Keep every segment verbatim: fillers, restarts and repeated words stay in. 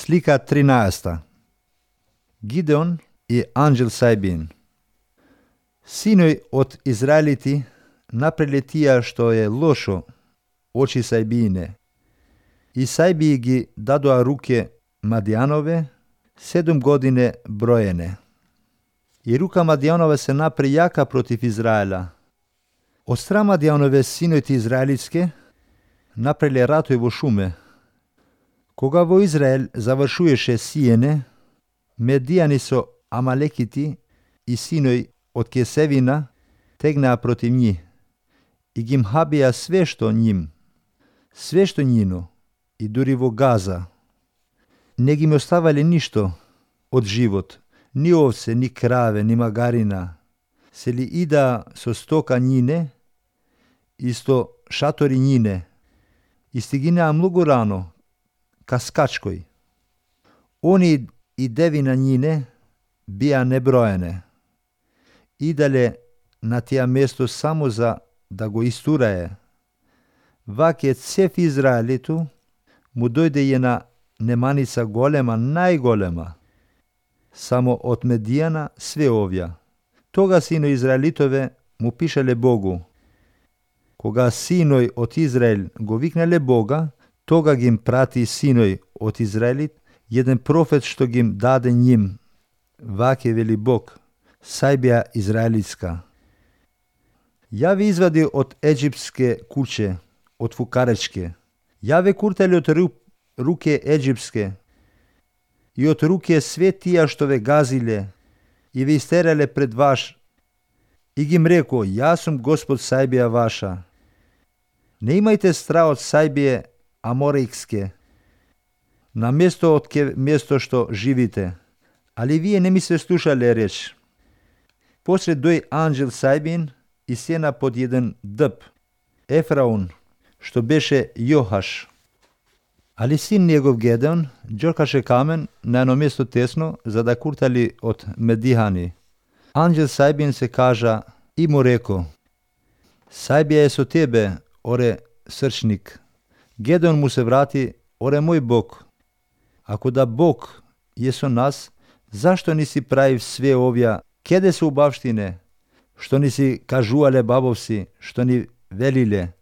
Slika trinaesta. Gideon i anđel Sajbin. Sinoј од Израелити направиле тие што е лошо очи Сајбине. И Сајби ги дадоа руке Мадијанове седум године броене. И рука Мадијанове се напре јака против Израела. Од страна Мадијанове синојте израелитске направиле ратој во шуме. Кога во Израел завршуеше сиене, Медијани со Амалекити и синој од Кесевина тегнаа против нив и ги мхабија све што ним, све што њино, и дури во Газа. Не ги ме оставале ништо од живот, ни овце, ни краве, ни магарина. Се ли ида со стока њине, исто шатори њине, и стигинаа многу рано, ка скачкој. Они и девина њине бија неброене. Идале на тија место само за да го истурае. Ваќе цев Израелиту му дојде една неманица голема, најголема. Само од Медијана све овја. Тога синој Израелитове му пишале Богу. Кога синој од Израел го викнале Бога, тога ги им прати синој од Израелит еден профет што ги им даде ним. Ваќе вели Бог, Сајбија израелитска. Ја ве извади од еģипске куќе, од фукаречке. Ја ве куртали од руке еģипске и од руке све тија што ве газиле и ве истерале пред ваш. И ги им реко, јас сум Господ Сајбија ваша. Не имајте страх од Сајбија Аморикске, на место од ке место што живите. Али вие не ми се слушале реч. После дој анđел Сајбин и сена под еден дъб, Ефраун, што беше Јохаш. Али син негов Гедеон џоркаше камен на едно место тесно, за да куртали од Медијани. Анđел Сајбин се кажа и му реко, Сајбија е со тебе, оре срчник. Гедеон му се врати, оре мој Бог. Ако да Бог е со нас, зашто ни си правив све овја? Кеде се убавштине, што ни си кажувале бабовси, што ни велиле?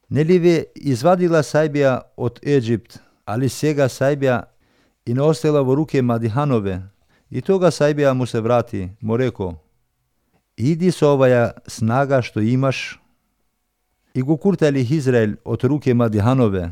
Нели ве извадила Сајбија од Еģипт, али сега Сајбија и не остела во руке Мадијанове? И тога Сајбија му се врати, му реко, иди со оваја снага што имаш. И го куртали Израел од руке Мадијанове.